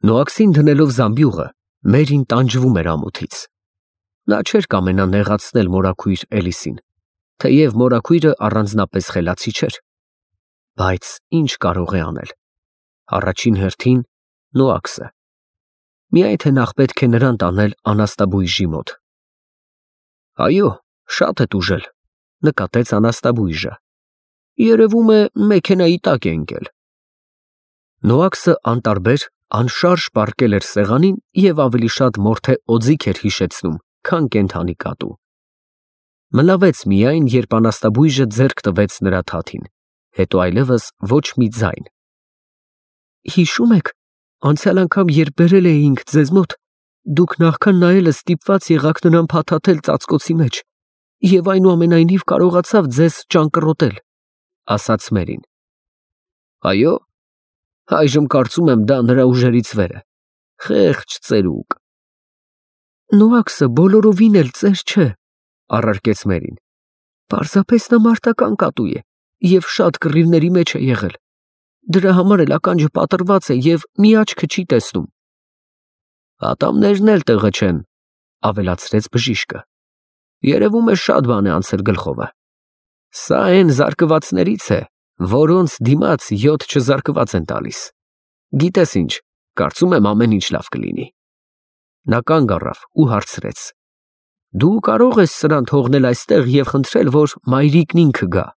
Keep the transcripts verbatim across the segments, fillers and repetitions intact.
Նոաքսին դնելով զամբյուղը, Մերին տանջվում էր ամոթից։ Նա չէր կամենա նեղացնել մորաքույր Էլիսին, թեև մորաքույրը առանձնապես խելացի չէր։ Բայց ինչ կարող է անել։ Առաջին հերթին Նոաքսը։ Միայն թե նախ պետք է նրան տանել անաստաբույժի մոտ։ Այո, շատ է տուժել, նկատեց անաստաբույժը։ Երևում է մեքենայի տակ է ընկել։ Նոաքսը անտարբեր, անշարժ պառկել էր սեղանին և ավելի շատ մորթե օձիք էր հիշեցնում, քան կենդանի կատու։ Մլավեց միայն, երբ անաստաբույժը ձեռք տվեց նրա թաթին, հետո այլևս ոչ մի ձայն։ Հիշում եք, անցյալ անգամ երբ բերել էինք ձեզ մոտ, դուք նախքան նայելը ստիպված եղաք նրան փաթաթել ծածկոցի մեջ, և այնուամենայնիվ կարողացավ ձեզ ճանկռոտել, ասաց Մերին։ Այո, այժմ կարծում եմ դա նրա ուժերից վեր է, խեղճ ծերուկ։ Նոաքսը բոլորովին էլ ծեր չէ, առարկեց Մերին։ Պարզապես նա մարտական կատու է և շատ կռիվների մեջ է եղել։ Դրա համար էլ ականջը պատռված է և մի աչքը չի տեսնում։ Ատամներն էլ տեղը չեն, ավելացրեց բժիշկը։ Երևում է շատ բան է անցել գլխովը։ Սա այն զարկվածներից է, որոնց դիմաց յոթ չզարկված են տալիս։ Գիտես ինչ, կարծում եմ ամեն ինչ լավ կլինի։ Նա կանգ առավ ու հարցրեց. Դու կարող ես սրան թողնել այստեղ և խնդրել, որ մայրիկն ինքը գա։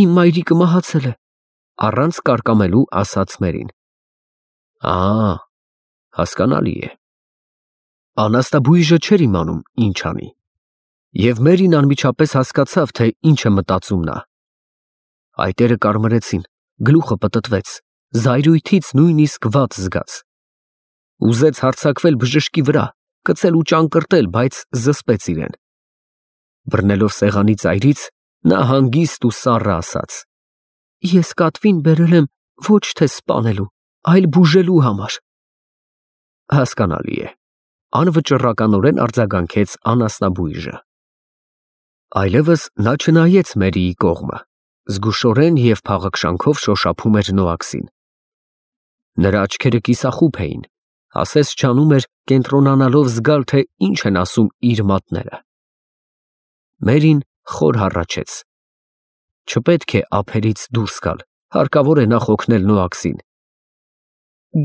Իմ մայրիկը մահացել է, առանց կարկամելու ասաց Մերին։ Ա, հասկանալի է։ Անաստաբույժը չէր իմանում ինչ անի, և Մերին անմիջապես հասկացավ, թե ինչ է մտածում նա։ Այտերը կարմրեցին, գլուխը պտտվեց, զայրույթից նույնիսկ վատ զգաց։ Ուզեց հարձակվել բժշկի վրա, կծել ու ճանկռտել, բայց զսպեց իրեն։ Բռնելով սեղանի ծայրից, նա հանգիստ ու սառը ասաց. Ես կատվին բերել եմ ոչ թե սպանելու, այլ բուժելու համար։ Հասկանալի է, անվճռականորեն արձագանքեց անասնաբույժը։ Այլևս նա չնայեց Մերիի կողմը, զգուշորեն և փաղաքշանքով շոշափում էր Նոաքսին։ Նրա աչքերը կիսախուփ էին, ասես չանում էր կենտրոնանալով զգալ, թե ինչ են ասում իր մատները։ Մերին խոր հառաչեց. Չպետք է ափերից դուրս գալ, հարկավոր է նախ օգնել Նոաքսին։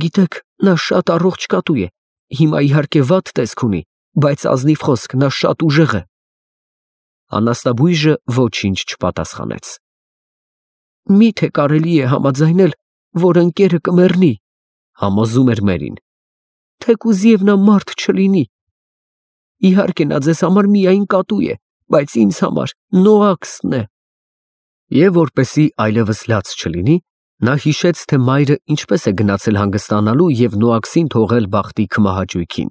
Գիտեք, նա շատ առողջ կատու է, հիմա իհարկե վատ տեսք ունի, բայց ազնիվ խոսք, նա շատ ուժեղ է։ Անաստաբույժը ոչինչ չպատասխանեց։ Մի՞թե կարելի է համաձայնել, որ ընկերը կմեռնի, համոզում էր Մերին, թեկուզ և նա մարդ չլինի։ Իհարկե նա ձեզ համար միայն կատու է, բայց ինձ համար Նոաքսն է։ Եվ որպեսզի այլևս լաց չլինի, նա հիշեց, թե մայրը ինչպես է գնացել հանգստանալու և Նոաքսին թողել բախտի քմահաճույքին։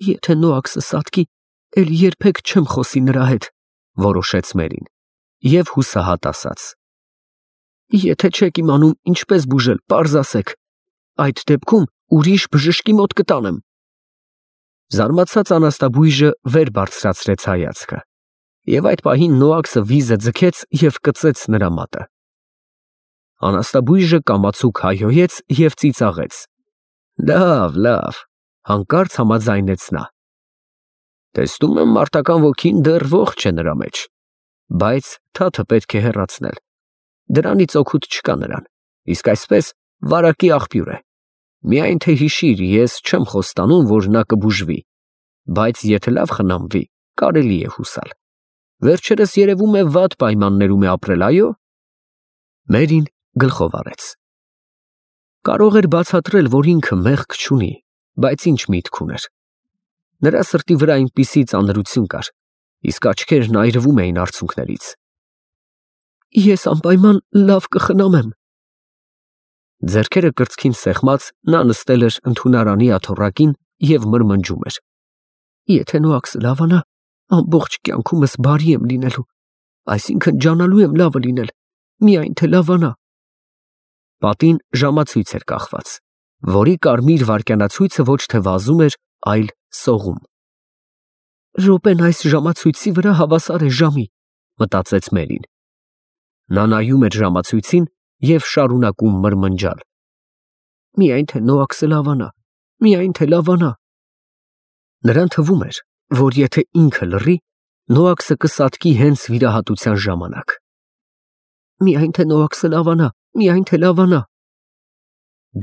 Եթե Նոաքսը սատկի, էլ երբեք չեմ խոսի նրա հետ, որոշեց Մերին, և հուսահատ ասաց. Եթե չեք իմանում ինչպես բուժել, պարզ ասեք, այդ դեպքում ուրիշ բժշկի մոտ կտանեմ։ Զարմացած անաստաբույժը վեր բարձրացրեց հայացքը, և այդ պահին Նոաքսը վիզը ձգեց և կծեց նրա մատը։ Անաստաբույժը կամացուկ հայհոյեց և ծիծաղեց։ Լավ, լավ, հանկարծ համաձայնեց նա։ Տեսնում եմ մարտական ոգին դեռ ողջ է նրա մեջ, բայց թաթը պետք է հեռացնել։ Դրանից օգուտ չկա նրան, իսկ այսպես վարակի աղբյուր է։ Միայն թե հիշիր, ես չեմ խոստանում, որ նա կբուժվի, բայց եթե լավ խնամվի, կարելի է հուսալ։ Վերջերս երևում է վատ պայմաններում է ապրել, այո։ Մերին գլխով արեց։ Կարող էր բացատրել, որ ինքը մեղք չունի, բայց ինչ միտք ուներ։ Նրա սրտի վրա այնպիսի ծանրություն կար, իսկ աչքերն այրվում էին արցունքներից։ Ես անպայման լավ կխնամեմ։ Ձեռքերը կրծքին սեղմած, նա նստել էր ընդունարանի աթոռակին և մրմնջում էր. Եթե Նոաքսը լավանա, ամբողջ կյանքումս բարի եմ լինելու, այսինքն ջանալու եմ լավը լինել, միայն թե լավանա։ Պատին ժամացույց էր կախված, որի կարմիր վայրկյանացույցը ոչ թե վազում էր, այլ սողում։ Րոպեն այս ժամացույցի վրա հավասար է ժամի, մտածեց Մերին։ Նա նայում էր ժամացույցին և շարունակում մրմնջալ։ Միայն թե Նոաքսը լավանա, միայն թե լավանա։ Նրան թվում էր, որ եթե ինքը լռի, Նոաքսը կսատկի հենց վիրահատության ժամանակ։ Միայն թե Նոաքսը լավանա, միայն թե լավանա։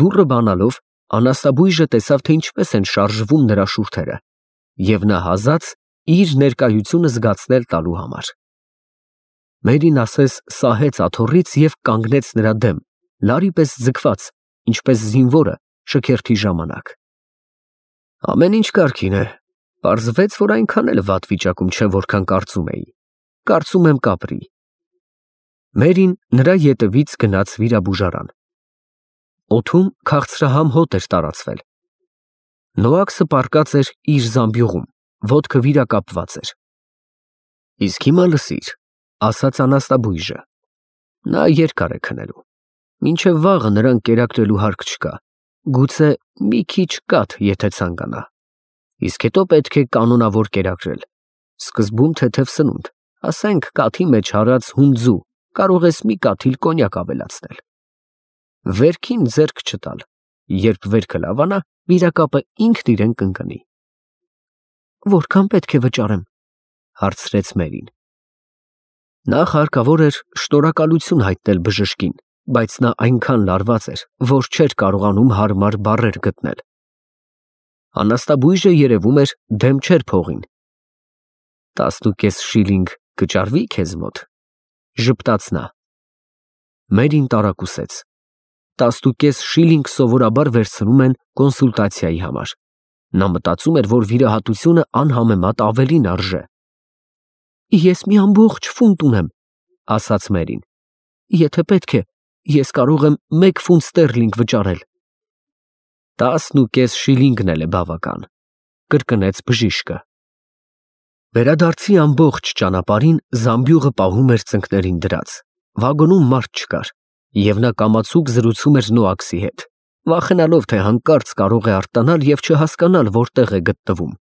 Դուռը բանալով Անաստաբույժը տեսավ, թե ինչպես են շարժվում նրա շուրթերը, և նա հազաց իր ներկայությունը զգացնել տալու համար։ Մերին ասես սահեց աթոռից և կանգնեց նրա դեմ, լարի պես ձգված, ինչպես զինվորը շքերթի ժամանակ։ Ամեն ինչ կարգին է, պարզվեց, որ այնքան էլ վատ վիճակում չէ, որքան կարծում էի, կարծում եմ կապրի։ Մերին նրա ետևից գնաց վիրաբուժարան։ Օդում քաղցրահամ հոտ էր տարածվել։ Նոաքսը պառկած էր իր զամբյուղում, ոտքը վիրակապված էր։ Իսկ հիմա լսիր, ասաց Անաստաբույժը, նա երկար է քնելու, մինչև վաղը նրան կերակրելու հարկ չկա, գուցե մի քիչ կաթ, եթե ցանկանա, իսկ հետո պետք է կանոնավոր կերակրել, սկզբում թեթև սնունդ, ասենք կաթի մեջ հարած հունձու, կարող ես մի կաթիլ կոնյակ ավելացնել։ Վերքին ձեռք չտալ, երբ վերքը լավանա, վիրակապը ինքն իրեն կընկնի։ Որքան պետք է վճարեմ, հարցրեց Մերին։ Նախ հարկավոր էր շնորհակալություն հայտնել բժշկին, բայց նա այնքան լարված էր, որ չէր կարողանում հարմար բառեր գտնել։ Անաստաբույժը երևում էր դեմ չէր փողին։ Տասնուկես շիլինգ կճարվի քեզ մոտ, ժպտաց նա։ Մերին տարակուսեց։ Տասնուկես շիլինգ սովորաբար վերցնում են կոնսուլտացիայի համար։ Նա մտածում էր, որ վիրահատությունը անհամեմատ ավելին արժե։ Ես մի ամբողջ ֆունտ ունեմ, ասաց Մերին։ Եթե պետք է, ես կարող եմ մեկ ֆունտ ստերլինգ վճարել։ Տասնուկես շիլինգն էլ է բավական, կրկնեց բժիշկը։ Վերադարձի ամբողջ ճանապարհին զամբյուղը պահում էր ծնկներին դրած, վագոնում մարդ չկար, և նա կամացուկ զրուցում էր Նոաքսի հետ, վախենալով, թե հանկարծ կարող է արտանալ և չհասկանալ, որտեղ է գտնվում։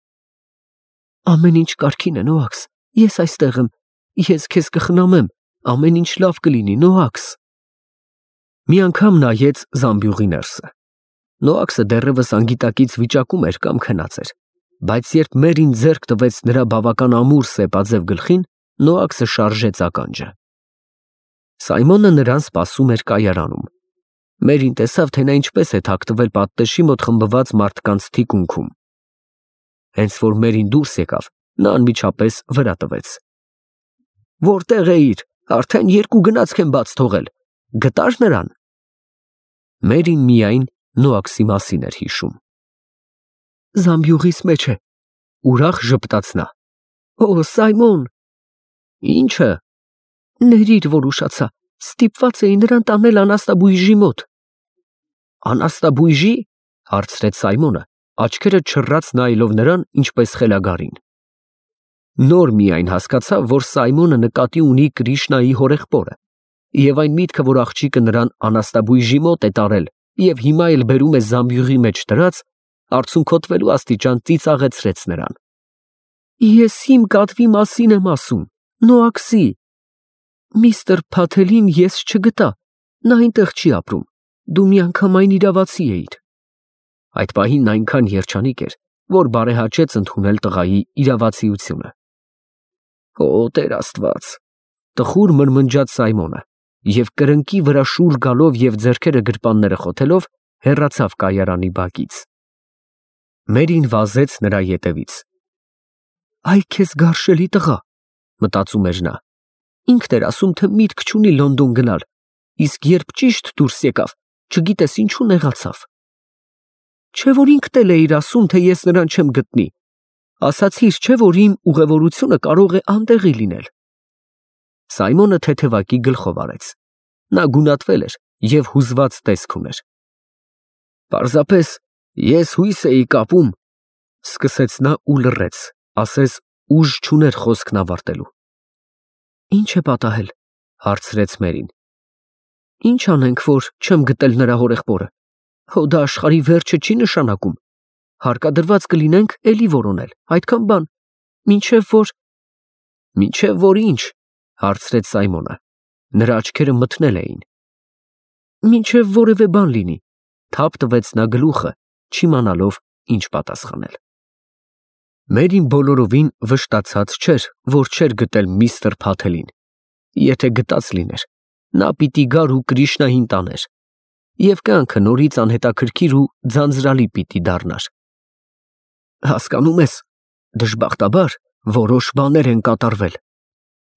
Ամեն ինչ կարգին է, Նոաքս, ես այստեղ եմ, ես քեզ կխնամեմ, ամեն ինչ լավ կլինի, Նոաքս։ Մի անգամ նայեց զամբյուղի ներսը։ Նոաքսը դեռևս անգիտակից վիճակում էր կամ քնած էր, բայց երբ Մերին ձեռք տվեց նրա բավական ամուր սեպաձև գլխին, Նոաքսը շարժեց ականջը։ Սայմոնը նրան սպասում էր կայարանում։ Մերին տեսավ, թե նա ինչպես է թաքնվել պատտեշի մոտ խմբված մարդկանց թիկունքում։ Հենց որ Մերին դուրս եկավ, նա անմիջապես վրա տվեց։ Որտեղ էիր, արդեն երկու գնացք եմ բաց թողել, գտա՞ր նրան։ Մերին միայն Նոաքսի մասին էր հիշում։ Զամբյուղիս մեջ է, ուրախ ժպտաց նա։ Օ, Սայմոն։ Ի՞նչը։ Ներիր, որ ուշացա, ստիպված էի նրան տանել Անաստաբույժի մոտ։ Անաստաբույժի, հարցրեց Սայմոնը, աչքերը չռած նայելով նրան, ինչպես խելագարին։ Նոր միայն հասկացավ, որ Սայմոնը նկատի ունի Կրիշնայի հորեղբորը, և այն միտքը, որ աղջիկը նրան Անաստաբույժի մոտ է տարել և հիմա էլ բերում է զամբյուղի մեջ դրած, արցունքոտվելու աստիճան ծիծաղեցրեց նրան։ Ես իմ կատվի մասին եմ ասում, Նոաքսի։ Միստր Փաթելին ես չգտա, նա այնտեղ չի ապրում, դու միանգամայն իրավացի էիր։ Այդ պահին նա այնքան երջանիկ էր, որ բարեհաճեց ընդունել տղայի իրավացիությունը։ Օ, Տեր Աստված, տխուր մրմնջաց Սայմոնը, և կրնկի վրա շուռ գալով և ձեռքերը գրպանները խոթելով հեռացավ կայարանի բակից։ Մերին վազեց նրա ետևից։ Այ քեզ գարշելի տղա, մտածում էր նա, ինքն էր ասում, թե միտք չունի Լոնդոն գնալ, իսկ երբ ճիշտ դուրս եկավ, չգիտես ինչու նեղացավ։ Չէ՞ որ ինքդ էլ էիր ասում, թե ես նրան չեմ գտնի, ասացիր, չէ՞ որ իմ ուղևորությունը կարող է անտեղի լինել։ Սայմոնը թեթևակի գլխով արեց։ Նա գունատվել էր և հուզված տեսք ուներ։ Պարզապես ես հույս էի կապում, սկսեց նա ու լռեց, ասես ուժ չուներ խոսքն ավարտելու։ Ինչ է պատահել, հարցրեց Մերին։ Ինչ անենք, որ չեմ գտել նրա հորեղբորը։ Հո դա աշխարհի վերջը չի նշանակում։ Հարկադրված կլինենք էլի որոնել, այդքան բան, մինչև որ… Մինչև որ ինչ, հարցրեց Սայմոնը։ Նրա աչքերը մթնել էին։ Մինչև որևէ բան լինի, թափ տվեց նա գլուխը, չիմանալով ինչ պատասխանել։ Մերին բոլորովին վշտացած չէր, որ չէր գտել միստր Փաթելին։ Եթե գտած լիներ, նա պիտի գար ու Կրիշնային տաներ, և կյանքը նորից անհետաքրքիր ու ձանձրալի պիտի դառնար։ Հասկանում ես, դժբախտաբար որոշ բաներ են կատարվել,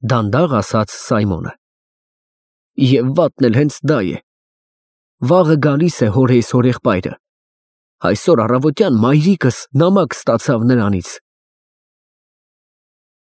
դանդաղ ասաց Սայմոնը։ Եվ վատն էլ հենց դա է։ Վաղը գալիս է հորեիս հորեղբայրը։ Այսօր առավոտյան մայրիկս նամակ ստացավ նրանից,